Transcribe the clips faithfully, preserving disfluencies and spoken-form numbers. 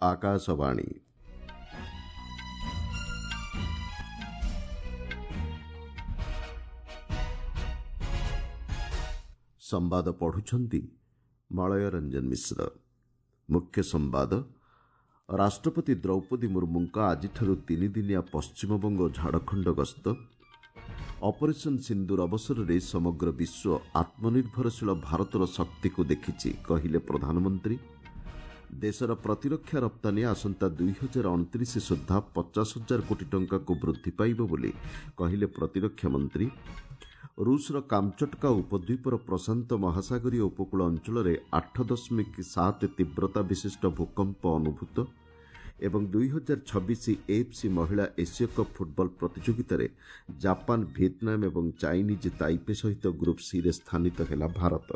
ଆକାଶବାଣୀ। ସମ୍ବାଦ ପଢୁଛନ୍ତି ମଳୟ ରଞ୍ଜନ ମିଶ୍ର। ମୁଖ୍ୟ ସମ୍ବାଦ। ରାଷ୍ଟ୍ରପତି ଦ୍ରୌପଦୀ ମୁର୍ମୁଙ୍କ ଆଜିଠାରୁ ତିନିଦିନିଆ ପଶ୍ଚିମବଙ୍ଗ ଓ ଝାଡ଼ଖଣ୍ଡ ଗସ୍ତ। ଅପରେସନ୍ ସିନ୍ଦୁର ଅବସରରେ ସମଗ୍ର ବିଶ୍ୱ ଆତ୍ମନିର୍ଭରଶୀଳ ଭାରତର ଶକ୍ତିକୁ ଦେଖିଛି, କହିଲେ ପ୍ରଧାନମନ୍ତ୍ରୀ। ଦେଶର ପ୍ରତିରକ୍ଷା ରପ୍ତାନୀ ଆସନ୍ତା ଦୁଇ ହଜାର ଅଣତିରିଶ ସୁଦ୍ଧା ପଚାଶ ହଜାର କୋଟି ଟଙ୍କାକୁ ବୃଦ୍ଧି ପାଇବ ବୋଲି କହିଲେ ପ୍ରତିରକ୍ଷା ମନ୍ତ୍ରୀ। ରୁଷର କାମଚଟକା ଉପଦ୍ୱୀପର ପ୍ରଶାନ୍ତ ମହାସାଗରୀୟ ଉପକୂଳ ଅଞ୍ଚଳରେ ଆଠ ଦଶମିକ ସାତ ତୀବ୍ରତା ବିଶିଷ୍ଟ ଭୂକମ୍ପ ଅନୁଭୂତ। ଏବଂ ଦୁଇ ହଜାର ଛବିଶ ଏଏଫ୍ସି ମହିଳା ଏସୀୟ କପ୍ ଫୁଟବଲ ପ୍ରତିଯୋଗିତାରେ ଜାପାନ, ଭିଏତନାମ ଏବଂ ଚାଇନିଜ୍ ତାଇପେ ସହିତ ଗ୍ରୁପ୍ ସିରେ ସ୍ଥାନିତ ହେଲା ଭାରତ।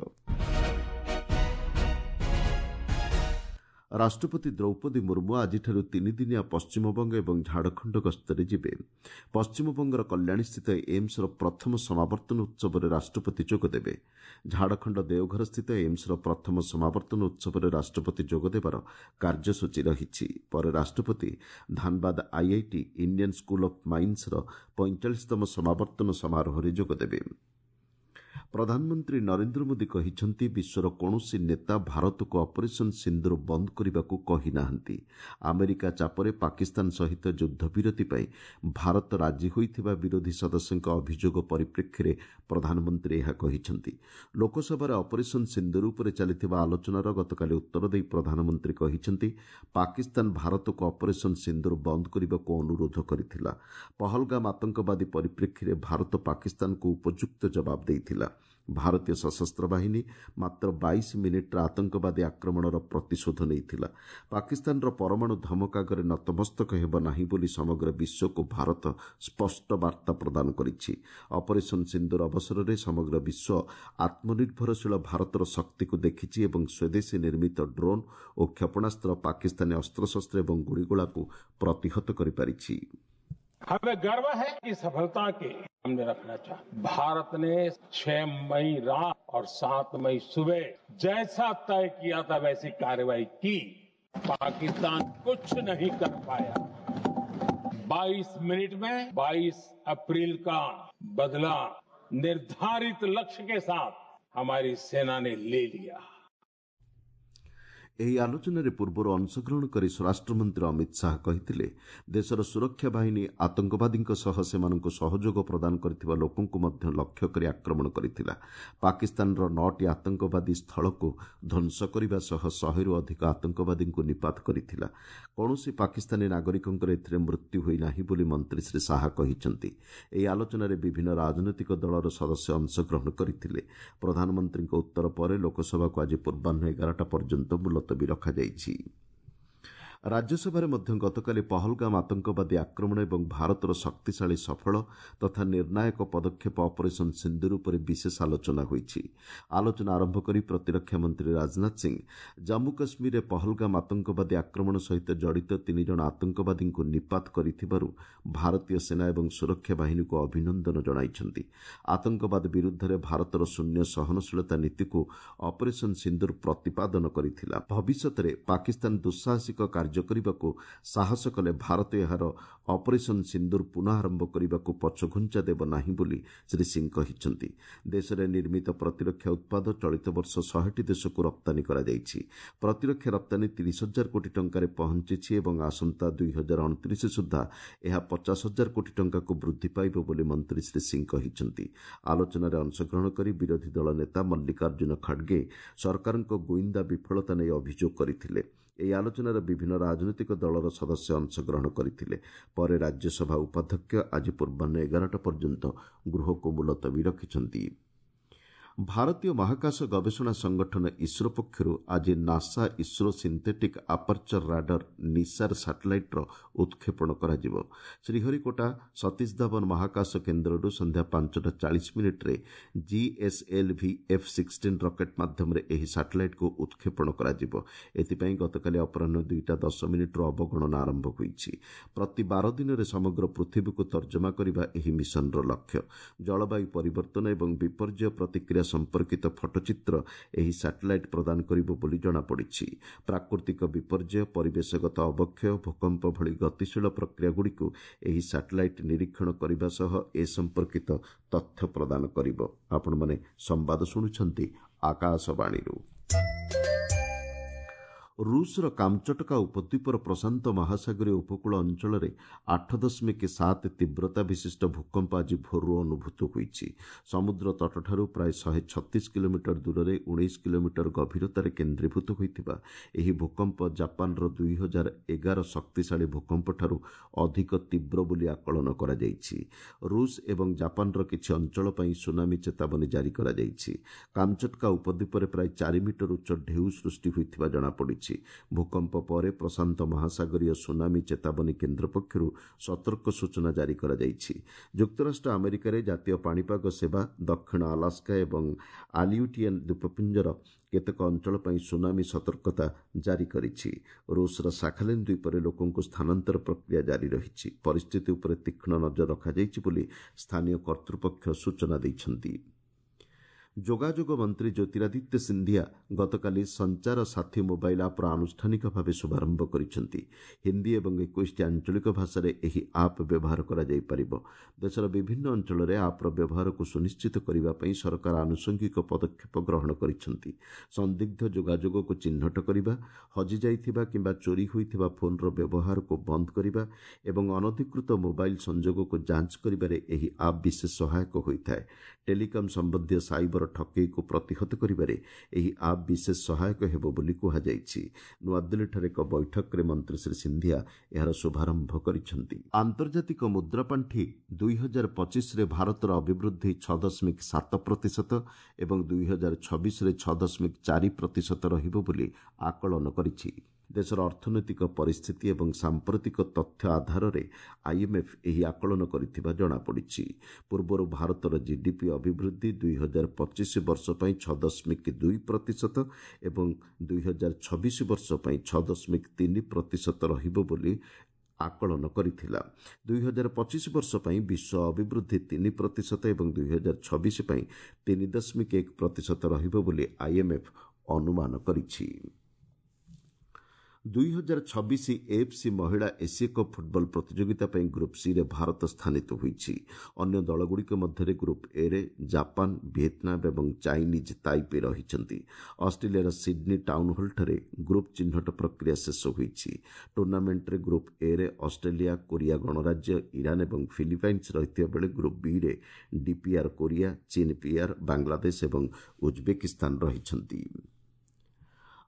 ରାଷ୍ଟ୍ରପତି ଦ୍ରୌପଦୀ ମୁର୍ମୁ ଆଜିଠାରୁ ତିନିଦିନିଆ ପଶ୍ଚିମବଙ୍ଗ ଏବଂ ଝାଡ଼ଖଣ୍ଡ ଗସ୍ତରେ ଯିବେ। ପଶ୍ଚିମବଙ୍ଗର କଲ୍ୟାଣୀସ୍ଥିତ ଏମ୍ସର ପ୍ରଥମ ସମାବର୍ତ୍ତନ ଉତ୍ସବରେ ରାଷ୍ଟ୍ରପତି ଯୋଗଦେବେ। ଝାଡ଼ଖଣ୍ଡ ଦେଓଘରସ୍ଥିତ ଏମ୍ସର ପ୍ରଥମ ସମାବର୍ତ୍ତନ ଉତ୍ସବରେ ରାଷ୍ଟ୍ରପତି ଯୋଗଦେବାର କାର୍ଯ୍ୟସୂଚୀ ରହିଛି। ପରେ ରାଷ୍ଟ୍ରପତି Dhanbad IIT Indian school of ମାଇନ୍ସର ପଇଁଚାଳିଶତମ ସମାବର୍ତ୍ତନ ସମାରୋହରେ ଯୋଗଦେବେ। ପ୍ରଧାନମନ୍ତ୍ରୀ ନରେନ୍ଦ୍ର ମୋଦି କହିଛନ୍ତି, ବିଶ୍ୱର କୌଣସି ନେତା ଭାରତକୁ ଅପରେସନ୍ ସିନ୍ଦୁର ବନ୍ଦ କରିବାକୁ କହିନାହାନ୍ତି। ଆମେରିକା ଚାପରେ ପାକିସ୍ତାନ ସହିତ ଯୁଦ୍ଧବିରତି ପାଇଁ ଭାରତ ରାଜି ହୋଇଥିବା ବିରୋଧୀ ସଦସ୍ୟଙ୍କ ଅଭିଯୋଗ ପରିପ୍ରେକ୍ଷୀରେ ପ୍ରଧାନମନ୍ତ୍ରୀ ଏହା କହିଛନ୍ତି। ଲୋକସଭାରେ ଅପରେସନ୍ ସିନ୍ଦୁର ଉପରେ ଚାଲିଥିବା ଆଲୋଚନାର ଗତକାଲି ଉତ୍ତର ଦେଇ ପ୍ରଧାନମନ୍ତ୍ରୀ କହିଛନ୍ତି, ପାକିସ୍ତାନ ଭାରତକୁ ଅପରେସନ୍ ସିନ୍ଦୁର ବନ୍ଦ କରିବାକୁ ଅନୁରୋଧ କରିଥିଲା। ପହଲଗାମ ଆତଙ୍କବାଦୀ ପରିପ୍ରେକ୍ଷୀରେ ଭାରତ ପାକିସ୍ତାନକୁ ଉପଯୁକ୍ତ ଜବାବ ଦେଇଥିଲା। ଭାରତୀୟ ସଶସ୍ତ୍ର ବାହିନୀ ମାତ୍ର ବାଇଶ ମିନିଟ୍ର ଆତଙ୍କବାଦୀ ଆକ୍ରମଣର ପ୍ରତିଶୋଧ ନେଇଥିଲା। ପାକିସ୍ତାନର ପରମାଣୁ ଧମକ ଆଗରେ ନତମସ୍ତକ ହେବ ନାହିଁ ବୋଲି ସମଗ୍ର ବିଶ୍ୱକୁ ଭାରତ ସ୍ପଷ୍ଟ ବାର୍ତ୍ତା ପ୍ରଦାନ କରିଛି। ଅପରେସନ୍ ସିନ୍ଦୁର ଅବସରରେ ସମଗ୍ର ବିଶ୍ୱ ଆତ୍ମନିର୍ଭରଶୀଳ ଭାରତର ଶକ୍ତିକୁ ଦେଖିଛି ଏବଂ ସ୍ୱଦେଶୀ ନିର୍ମିତ ଡ୍ରୋନ୍ ଓ କ୍ଷେପଣାସ୍ତ୍ର ପାକିସ୍ତାନୀ ଅସ୍ତ୍ରଶସ୍ତ୍ର ଏବଂ ଗୁଳିଗୋଳାକୁ ପ୍ରତିହତ କରିପାରିଛି। हमें गर्व है कि सफलता के हमने रखना चाहे। भारत ने छह मई रात और सात मई सुबह जैसा तय किया था वैसी कार्रवाई की। पाकिस्तान कुछ नहीं कर पाया। बाईस मिनट में बाईस अप्रैल का बदला निर्धारित लक्ष्य के साथ हमारी सेना ने ले लिया। ଏହି ଆଲୋଚନାରେ ପୂର୍ବରୁ ଅଂଶଗ୍ରହଣ କରି ସ୍ୱରାଷ୍ଟ୍ରମନ୍ତ୍ରୀ ଅମିତ ଶାହା କହିଥିଲେ, ଦେଶର ସୁରକ୍ଷା ବାହିନୀ ଆତଙ୍କବାଦୀଙ୍କ ସହ ସେମାନଙ୍କୁ ସହଯୋଗ ପ୍ରଦାନ କରିଥିବା ଲୋକଙ୍କୁ ମଧ୍ୟ ଲକ୍ଷ୍ୟ କରି ଆକ୍ରମଣ କରିଥିଲା। ପାକିସ୍ତାନର ନଅଟି ଆତଙ୍କବାଦୀ ସ୍ଥଳକୁ ଧ୍ୱଂସ କରିବା ସହ ଶହେରୁ ଅଧିକ ଆତଙ୍କବାଦୀଙ୍କୁ ନିପାତ କରିଥିଲା। କୌଣସି ପାକିସ୍ତାନୀ ନାଗରିକଙ୍କର ଏଥିରେ ମୃତ୍ୟୁ ହୋଇନାହିଁ ବୋଲି ମନ୍ତ୍ରୀ ଶ୍ରୀ ଶାହା କହିଛନ୍ତି। ଏହି ଆଲୋଚନାରେ ବିଭିନ୍ନ ରାଜନୈତିକ ଦଳର ସଦସ୍ୟ ଅଂଶଗ୍ରହଣ କରିଥିଲେ। ପ୍ରଧାନମନ୍ତ୍ରୀଙ୍କ ଉତ୍ତର ପରେ ଲୋକସଭାକୁ ଆଜି ପୂର୍ବାହ୍ନ ଏଗାରଟା ପର୍ଯ୍ୟନ୍ତ ମୁଲତବୀ ରଖାଯାଇଛି। ରାଜ୍ୟସଭାରେ ମଧ୍ୟ ଗତକାଲି ପହଲଗାମ ଆତଙ୍କବାଦୀ ଆକ୍ରମଣ ଏବଂ ଭାରତର ଶକ୍ତିଶାଳୀ, ସଫଳ ତଥା ନିର୍ଣ୍ଣାୟକ ପଦକ୍ଷେପ ଅପରେସନ୍ ସିନ୍ଦୁର ଉପରେ ବିଶେଷ ଆଲୋଚନା ହୋଇଛି। ଆଲୋଚନା ଆରମ୍ଭ କରି ପ୍ରତିରକ୍ଷା ମନ୍ତ୍ରୀ ରାଜନାଥ ସିଂ ଜାମ୍ମୁ କାଶ୍ମୀରରେ ପହଲଗାମ ଆତଙ୍କବାଦୀ ଆକ୍ରମଣ ସହିତ ଜଡ଼ିତ ତିନି ଜଣ ଆତଙ୍କବାଦୀଙ୍କୁ ନିପାତ କରିଥିବାରୁ ଭାରତୀୟ ସେନା ଏବଂ ସୁରକ୍ଷା ବାହିନୀକୁ ଅଭିନନ୍ଦନ ଜଣାଇଛନ୍ତି। ଆତଙ୍କବାଦ ବିରୁଦ୍ଧରେ ଭାରତର ଶୂନ୍ୟ ସହନଶୀଳତା ନୀତିକୁ ଅପରେସନ୍ ସିନ୍ଦୁର ପ୍ରତିପାଦନ କରିଥିଲା। ଭବିଷ୍ୟତରେ ପାକିସ୍ତାନ ଦୁଃସାହସିକ କାର୍ଯ୍ୟ କରିବାକୁ ସାହସ କଲେ ଭାରତ ଏହାର ଅପରେସନ୍ ସିନ୍ଦୁର ପୁନଃ ଆରମ୍ଭ କରିବାକୁ ପଛଘୁଞ୍ଚା ଦେବ ନାହିଁ ବୋଲି ଶ୍ରୀ ସିଂ କହିଛନ୍ତି। ଦେଶରେ ନିର୍ମିତ ପ୍ରତିରକ୍ଷା ଉତ୍ପାଦ ଚଳିତ ବର୍ଷ ଶହେଟି ଦେଶକୁ ରପ୍ତାନୀ କରାଯାଇଛି। ପ୍ରତିରକ୍ଷା ରପ୍ତାନୀ ତିରିଶ ହଜାର କୋଟି ଟଙ୍କାରେ ପହଞ୍ଚିଛି ଏବଂ ଆସନ୍ତା ଦୁଇ ହଜାର ଅଣତିରିଶ ସୁଦ୍ଧା ଏହା ପଚାଶ ହଜାର କୋଟି ଟଙ୍କାକୁ ବୃଦ୍ଧି ପାଇବ ବୋଲି ମନ୍ତ୍ରୀ ଶ୍ରୀ ସିଂ କହିଛନ୍ତି। ଆଲୋଚନାରେ ଅଂଶଗ୍ରହଣ କରି ବିରୋଧୀ ଦଳ ନେତା ମଲ୍ଲିକାର୍ଜୁନ ଖଡ୍ଗେ ସରକାରଙ୍କ ଗୁଇନ୍ଦା ବିଫଳତା ନେଇ ଅଭିଯୋଗ କରିଥିଲେ। ଏହି ଆଲୋଚନାରେ ବିଭିନ୍ନ ରାଜନୈତିକ ଦଳର ସଦସ୍ୟ ଅଂଶଗ୍ରହଣ କରିଥିଲେ। ପରେ ରାଜ୍ୟସଭା ଉପାଧ୍ୟକ୍ଷ ଆଜି ପୂର୍ବାହ୍ନ ଏଗାରଟା ପର୍ଯ୍ୟନ୍ତ ଗୃହକୁ ମୁଲତବୀ ରଖିଛନ୍ତି। ଭାରତୀୟ ମହାକାଶ ଗବେଷଣା ସଂଗଠନ ଇସ୍ରୋ ପକ୍ଷରୁ ଆଜି NASA ISRO synthetic aperture radar NISAR ସାଟେଲାଇଟ୍ର ଉତ୍କ୍ଷେପଣ କରାଯିବ। ଶ୍ରୀହରିକୋଟା ସତୀଶ ଧାୱନ ମହାକାଶ କେନ୍ଦ୍ରରୁ ସନ୍ଧ୍ୟା ପାଞ୍ଚଟା ଚାଳିଶ ମିନିଟ୍ରେ ଜିଏସ୍ଏଲ୍ଭି ଏଫ୍ ସିକ୍ସଟିନ୍ ରକେଟ୍ ମାଧ୍ୟମରେ ଏହି ସାଟେଲାଇଟ୍କୁ ଉତ୍କ୍ଷେପଣ କରାଯିବ। ଏଥିପାଇଁ ଗତକାଲି ଅପରାହ୍ନ ଦୁଇଟା ଦଶ ମିନିଟ୍ରୁ ଅବଗଣନା ଆରମ୍ଭ ହୋଇଛି। ପ୍ରତି ବାର ଦିନରେ ସମଗ୍ର ପୃଥିବୀକୁ ତର୍ଜମା କରିବା ଏହି ମିଶନର ଲକ୍ଷ୍ୟ। ଜଳବାୟୁ ପରିବର୍ତ୍ତନ ଏବଂ ବିପର୍ଯ୍ୟୟ ପ୍ରତିକ୍ରିୟା ପ୍ରକ୍ରିୟା ସମ୍ପର୍କିତ ଫଟୋଚିତ୍ର ଏହି ସାଟେଲାଇଟ୍ ପ୍ରଦାନ କରିବ ବୋଲି ଜଣାପଡ଼ିଛି। ପ୍ରାକୃତିକ ବିପର୍ଯ୍ୟୟ, ପରିବେଶଗତ ଅବକ୍ଷୟ, ଭୂକମ୍ପ ଭଳି ଗତିଶୀଳ ପ୍ରକ୍ରିୟାଗୁଡ଼ିକୁ ଏହି ସାଟେଲାଇଟ୍ ନିରୀକ୍ଷଣ କରିବା ସହ ଏ ସମ୍ପର୍କିତ ତଥ୍ୟ ପ୍ରଦାନ କରିବ। ଆପଣମାନେ ସମ୍ବାଦ ଶୁଣୁଛନ୍ତି ଆକାଶବାଣୀରୁ। ରୁଷର କାମଚଟକା ଉପଦ୍ୱୀପର ପ୍ରଶାନ୍ତ ମହାସାଗରୀୟ ଉପକୂଳ ଅଞ୍ଚଳରେ ଆଠ ଦଶମିକ ସାତ ତୀବ୍ରତା ବିଶିଷ୍ଟ ଭୂକମ୍ପ ଆଜି ଭୋରରୁ ଅନୁଭୂତ ହୋଇଛି। ସମୁଦ୍ର ତଟଠାରୁ ପ୍ରାୟ ଶହେ ଛତିଶ କିଲୋମିଟର ଦୂରରେ ଉଣେଇଶ କିଲୋମିଟର ଗଭୀରତାରେ କେନ୍ଦ୍ରୀଭୂତ ହୋଇଥିବା ଏହି ଭୂକମ୍ପ ଜାପାନର ଦୁଇ ହଜାର ଏଗାର ଶକ୍ତିଶାଳୀ ଭୂକମ୍ପଠାରୁ ଅଧିକ ତୀବ୍ର ବୋଲି ଆକଳନ କରାଯାଇଛି। ରୁଷ ଏବଂ ଜାପାନର କିଛି ଅଞ୍ଚଳ ପାଇଁ ସୁନାମି ଚେତାବନୀ ଜାରି କରାଯାଇଛି। କାମଚଟକା ଉପଦ୍ୱୀପରେ ପ୍ରାୟ ଚାରି ମିଟର ଉଚ୍ଚ ଢେଉ ସୃଷ୍ଟି ହୋଇଥିବା ଜଣାପଡ଼ିଛି। ଭୂକମ୍ପ ପରେ ପ୍ରଶାନ୍ତ ମହାସାଗରୀୟ ସୁନାମି ଚେତାବନୀ କେନ୍ଦ୍ର ପକ୍ଷରୁ ସତର୍କ ସୂଚନା ଜାରି କରାଯାଇଛି। ଯୁକ୍ତରାଷ୍ଟ୍ର ଆମେରିକାରେ ଜାତୀୟ ପାଣିପାଗ ସେବା ଦକ୍ଷିଣ ଆଲାସ୍କା ଏବଂ ଆଲିୟୁଟିଆନ୍ ଦ୍ୱୀପପୁଞ୍ଜର କେତେକ ଅଞ୍ଚଳ ପାଇଁ ସୁନାମି ସତର୍କତା ଜାରି କରିଛି। ରୁଷର ସାଖାଲିନ୍ ଦ୍ୱୀପରେ ଲୋକଙ୍କୁ ସ୍ଥାନାନ୍ତର ପ୍ରକ୍ରିୟା ଜାରି ରହିଛି। ପରିସ୍ଥିତି ଉପରେ ତୀକ୍ଷ୍ଣ ନଜର ରଖାଯାଇଛି ବୋଲି ସ୍ଥାନୀୟ କର୍ତ୍ତୃପକ୍ଷ ସୂଚନା ଦେଇଛନ୍ତି। ଯୋଗାଯୋଗ ମନ୍ତ୍ରୀ ଜ୍ୟୋତିରାଦିତ୍ୟ ସିନ୍ଧିଆ ଗତକାଲି ସଞ୍ଚାର ସାଥୀ ମୋବାଇଲ୍ ଆପ୍ର ଆନୁଷ୍ଠାନିକ ଭାବେ ଶୁଭାରମ୍ଭ କରିଛନ୍ତି। ହିନ୍ଦୀ ଏବଂ ଏକୋଇଶଟି ଆଞ୍ଚଳିକ ଭାଷାରେ ଏହି ଆପ୍ ବ୍ୟବହାର କରାଯାଇପାରିବ। ଦେଶର ବିଭିନ୍ନ ଅଞ୍ଚଳରେ ଆପ୍ର ବ୍ୟବହାରକୁ ସୁନିଶ୍ଚିତ କରିବା ପାଇଁ ସରକାର ଆନୁଷଙ୍ଗିକ ପଦକ୍ଷେପ ଗ୍ରହଣ କରିଛନ୍ତି। ସନ୍ଦିଗ୍ଧ ଯୋଗାଯୋଗକୁ ଚିହ୍ନଟ କରିବା, ହଜିଯାଇଥିବା କିମ୍ବା ଚୋରି ହୋଇଥିବା ଫୋନ୍ର ବ୍ୟବହାରକୁ ବନ୍ଦ କରିବା ଏବଂ ଅନଧିକୃତ ମୋବାଇଲ୍ ସଂଯୋଗକୁ ଯାଞ୍ଚ କରିବାରେ ଏହି ଆପ୍ ବିଶେଷ ସହାୟକ ହୋଇଥାଏ। ଟେଲିକମ୍ ସମ୍ବନ୍ଧୀୟ ସାଇବର ଠକେଇକୁ ପ୍ରତିହତ କରିବାରେ ଏହି ଆପ୍ ବିଶେଷ ସହାୟକ ହେବ ବୋଲି କୁହାଯାଇଛି। ନୂଆଦିଲ୍ଲୀଠାରେ ଏକ ବୈଠକରେ ମନ୍ତ୍ରୀ ଶ୍ରୀ ସିନ୍ଧିଆ ଏହାର ଶୁଭାରମ୍ଭ କରିଛନ୍ତି। ଆନ୍ତର୍ଜାତିକ ମୁଦ୍ରାପାଣ୍ଠି ଦୁଇ ହଜାର ପଚିଶରେ ଭାରତର ଅଭିବୃଦ୍ଧି ଛଅ ଦଶମିକ ସାତ ପ୍ରତିଶତ ଏବଂ ଦୁଇ ହଜାର ଛବିଶରେ ଛଅ ଦଶମିକ ଚାରି ପ୍ରତିଶତ ରହିବ ବୋଲି ଆକଳନ କରିଛି। ଦେଶର ଅର୍ଥନୈତିକ ପରିସ୍ଥିତି ଏବଂ ସାମ୍ପ୍ରତିକ ତଥ୍ୟ ଆଧାରରେ ଆଇଏମ୍ଏଫ୍ ଏହି ଆକଳନ କରିଥିବା ଜଣାପଡ଼ିଛି। ପୂର୍ବରୁ ଭାରତର ଜିଡିପି ଅଭିବୃଦ୍ଧି ଦୁଇ ହଜାର ପଚିଶ ବର୍ଷ ପାଇଁ ଛଅ ଦଶମିକ ଦୁଇ ପ୍ରତିଶତ ଏବଂ ଦୁଇ ହଜାର ଛବିଶ ବର୍ଷ ପାଇଁ ଛଅ ଦଶମିକ ତିନି ପ୍ରତିଶତ ରହିବ ବୋଲି ଆକଳନ କରିଥିଲା। ଦୁଇ ହଜାର ପଚିଶ ବର୍ଷ ପାଇଁ ବିଶ୍ୱ ଅଭିବୃଦ୍ଧି ତିନି ପ୍ରତିଶତ ଏବଂ ଦୁଇ ହଜାର ଛବିଶ ପାଇଁ ତିନି ଦଶମିକ ଏକ ପ୍ରତିଶତ ରହିବ ବୋଲି ଆଇଏମ୍ଏଫ୍ ଅନୁମାନ କରିଛି। ଦୁଇ ହଜାର ଛବିଶ ଏଏଫ୍ସି ମହିଳା ଏସୀୟ କପ୍ ଫୁଟବଲ ପ୍ରତିଯୋଗିତା ପାଇଁ ଗ୍ରୁପ୍ ସିରେ ଭାରତ ସ୍ଥାନିତ ହୋଇଛି। ଅନ୍ୟ ଦଳଗୁଡ଼ିକ ମଧ୍ୟରେ ଗ୍ରୁପ୍ ଏରେ ଜାପାନ, ଭିଏତନାମ ଏବଂ ଚାଇନିଜ୍ ତାଇପେ ରହିଛନ୍ତି। ଅଷ୍ଟ୍ରେଲିଆର ସିଡ୍ନୀ ଟାଉନ୍ ହଲ୍ଠାରେ ଗ୍ରୁପ୍ ଚିହ୍ନଟ ପ୍ରକ୍ରିୟା ଶେଷ ହୋଇଛି। ଟୁର୍ଣ୍ଣାମେଣ୍ଟରେ ଗ୍ରୁପ୍ ଏରେ ଅଷ୍ଟ୍ରେଲିଆ, କୋରିଆ ଗଣରାଜ୍ୟ, ଇରାନ ଏବଂ ଫିଲିପାଇନ୍ସ ରହିଥିବା ବେଳେ ଗ୍ରୁପ୍ ବିରେ ଡିପିଆର୍ କୋରିଆ, ଚୀନ୍ ପିଆର୍, ବାଂଲାଦେଶ ଏବଂ ଉଜବେକିସ୍ତାନ ରହିଛନ୍ତି।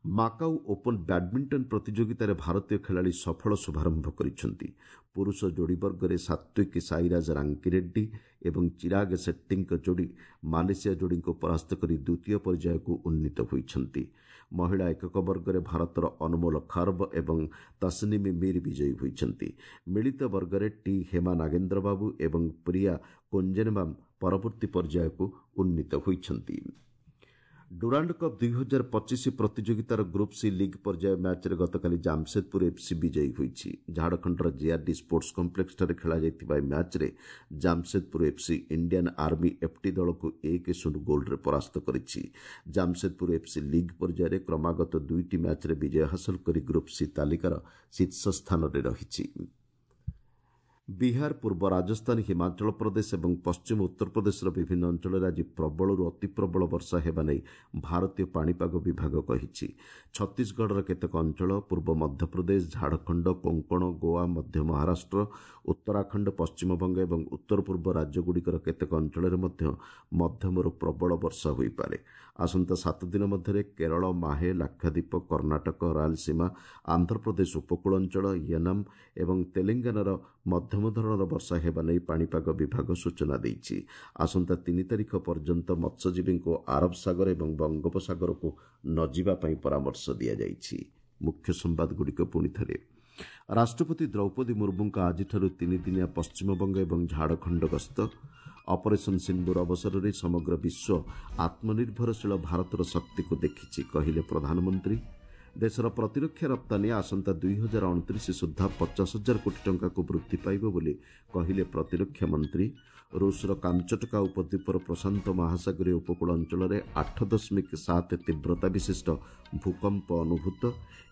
ମାକାଉ ଓପନ୍ ବ୍ୟାଡ୍ମିଣ୍ଟନ ପ୍ରତିଯୋଗିତାରେ ଭାରତୀୟ ଖେଳାଳି ସଫଳ ଶୁଭାରମ୍ଭ କରିଛନ୍ତି। ପୁରୁଷ ଯୋଡ଼ି ବର୍ଗରେ ସାତ୍ୱିକ ସାଇରାଜ ରାଙ୍କିରେଡ୍ଡି ଏବଂ ଚିରାଗ ସେଟ୍ଟୀଙ୍କ ଯୋଡ଼ି ମାଲେସିଆ ଯୋଡ଼ିଙ୍କୁ ପରାସ୍ତ କରି ଦ୍ୱିତୀୟ ପର୍ଯ୍ୟାୟକୁ ଉନ୍ନୀତ ହୋଇଛନ୍ତି। ମହିଳା ଏକକ ବର୍ଗରେ ଭାରତର ଅନମୋଲ ଖର୍ବ ଏବଂ ତସନିମି ମୀର ବିଜୟୀ ହୋଇଛନ୍ତି। ମିଳିତ ବର୍ଗରେ ଟି ହେମା ନାଗେନ୍ଦ୍ରବାବୁ ଏବଂ ପ୍ରିୟା କୋଞ୍ଜେନବାମ୍ ପରବର୍ତ୍ତୀ ପର୍ଯ୍ୟାୟକୁ ଉନ୍ନୀତ ହୋଇଛନ୍ତି। ଡୁରାଣ୍ଡ କପ୍ ଦୁଇ ହଜାର ପଚିଶ ପ୍ରତିଯୋଗିତାର ଗ୍ରୁପ୍ ସି ଲିଗ୍ ପର୍ଯ୍ୟାୟ ମ୍ୟାଚ୍ରେ ଗତକାଲି ଜାମସେଦପୁର ଏଫ୍ସି ବିଜୟୀ ହୋଇଛି। ଝାଡ଼ଖଣ୍ଡର ଜିଆର୍ଡି ସ୍ପୋର୍ଟସ କମ୍ପ୍ଲେକ୍ସଠାରେ ଖେଳାଯାଇଥିବା ଏହି ମ୍ୟାଚ୍ରେ ଜାମସେଦପୁର ଏଫ୍ସି ଇଣ୍ଡିଆନ୍ ଆର୍ମି ଏଫ୍ଟି ଦଳକୁ ଏକ ଶୂନ ଗୋଲ୍ରେ ପରାସ୍ତ କରିଛି। ଜାମସେଦପୁର ଏଫ୍ସି ଲିଗ୍ ପର୍ଯ୍ୟାୟରେ କ୍ରମାଗତ ଦୁଇଟି ମ୍ୟାଚ୍ରେ ବିଜୟ ହାସଲ କରି ଗ୍ରୁପ୍ ସି ତାଲିକାର ଶୀର୍ଷ ସ୍ଥାନରେ ରହିଛି। ବିହାର, ପୂର୍ବ ରାଜସ୍ଥାନ, ହିମାଚଳ ପ୍ରଦେଶ ଏବଂ ପଶ୍ଚିମ ଉତ୍ତରପ୍ରଦେଶର ବିଭିନ୍ନ ଅଞ୍ଚଳରେ ଆଜି ପ୍ରବଳରୁ ଅତିପ୍ରବଳ ବର୍ଷା ହେବା ନେଇ ଭାରତୀୟ ପାଣିପାଗ ବିଭାଗ କହିଛି। ଛତିଶଗଡ଼ର କେତେକ ଅଞ୍ଚଳ, ପୂର୍ବ ମଧ୍ୟପ୍ରଦେଶ, ଝାଡ଼ଖଣ୍ଡ, କୋଙ୍କଣ, ଗୋଆ, ମଧ୍ୟ ମହାରାଷ୍ଟ୍ର, ଉତ୍ତରାଖଣ୍ଡ, ପଶ୍ଚିମବଙ୍ଗ ଏବଂ ଉତ୍ତର ପୂର୍ବ ରାଜ୍ୟଗୁଡ଼ିକର କେତେକ ଅଞ୍ଚଳରେ ମଧ୍ୟ ମଧ୍ୟମରୁ ପ୍ରବଳ ବର୍ଷା ହୋଇପାରେ। ଆସନ୍ତା ସାତ ଦିନ ମଧ୍ୟରେ କେରଳ, ମାହେ, ଲାକ୍ଷାଦ୍ୱୀପ, କର୍ଣ୍ଣାଟକ, ରାୟଲସୀମା, ଆନ୍ଧ୍ରପ୍ରଦେଶ ଉପକୂଳ ଅଞ୍ଚଳ, ୟନମ୍ ଏବଂ ତେଲେଙ୍ଗାନାର ମଧ୍ୟମ ଧରଣର ବର୍ଷା ହେବା ନେଇ ପାଣିପାଗ ବିଭାଗ ସୂଚନା ଦେଇଛି। ଆସନ୍ତା ତିନି ତାରିଖ ପର୍ଯ୍ୟନ୍ତ ମତ୍ସ୍ୟଜୀବୀଙ୍କୁ ଆରବ ସାଗର ଏବଂ ବଙ୍ଗୋପସାଗରକୁ ନ ଯିବା ପାଇଁ ପରାମର୍ଶ ଦିଆଯାଇଛି। ମୁଖ୍ୟ ସମ୍ବାଦଗୁଡ଼ିକ ପୁଣି ଥରେ। ରାଷ୍ଟ୍ରପତି ଦ୍ରୌପଦୀ ମୁର୍ମୁଙ୍କ ଆଜିଠାରୁ ତିନିଦିନିଆ ପଶ୍ଚିମବଙ୍ଗ ଏବଂ ଝାଡ଼ଖଣ୍ଡ ଗସ୍ତ। ଅପରେସନ୍ ସିନ୍ଦୁର ଅବସରରେ ସମଗ୍ର ବିଶ୍ୱ ଆତ୍ମନିର୍ଭରଶୀଳ ଭାରତର ଶକ୍ତିକୁ ଦେଖିଛି, କହିଲେ ପ୍ରଧାନମନ୍ତ୍ରୀ। ଦେଶର ପ୍ରତିରକ୍ଷା ରପ୍ତାନୀ ଆସନ୍ତା ଦୁଇ ହଜାର ଅଣତିରିଶ ସୁଦ୍ଧା ପଚାଶ ହଜାର କୋଟି ଟଙ୍କାକୁ ବୃଦ୍ଧି ପାଇବ ବୋଲି କହିଲେ ପ୍ରତିରକ୍ଷା ମନ୍ତ୍ରୀ। ରୁଷର କାମଚଟକା ଉପଦ୍ୱୀପର ପ୍ରଶାନ୍ତ ମହାସାଗରୀୟ ଉପକୂଳ ଅଞ୍ଚଳରେ ଆଠ ଦଶମିକ ସାତ ତୀବ୍ରତା ବିଶିଷ୍ଟ ଭୂକମ୍ପ ଅନୁଭୂତ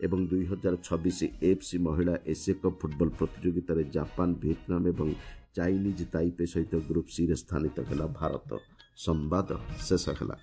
ଏବଂ ଦୁଇ ହଜାର ଛବିଶ ଏଏଫ୍ସି ମହିଳା ଏସିଆ କପ୍ ଫୁଟବଲ ପ୍ରତିଯୋଗିତାରେ ଜାପାନ, ଭିଏତନାମ ଏବଂ ଚାଇନିଜ୍ ତାଇପେ ସହିତ ଗ୍ରୁପ୍ ସିରେ ସ୍ଥାନିତ ହେଲା ଭାରତ। ସମ୍ବାଦ ଶେଷ ହେଲା।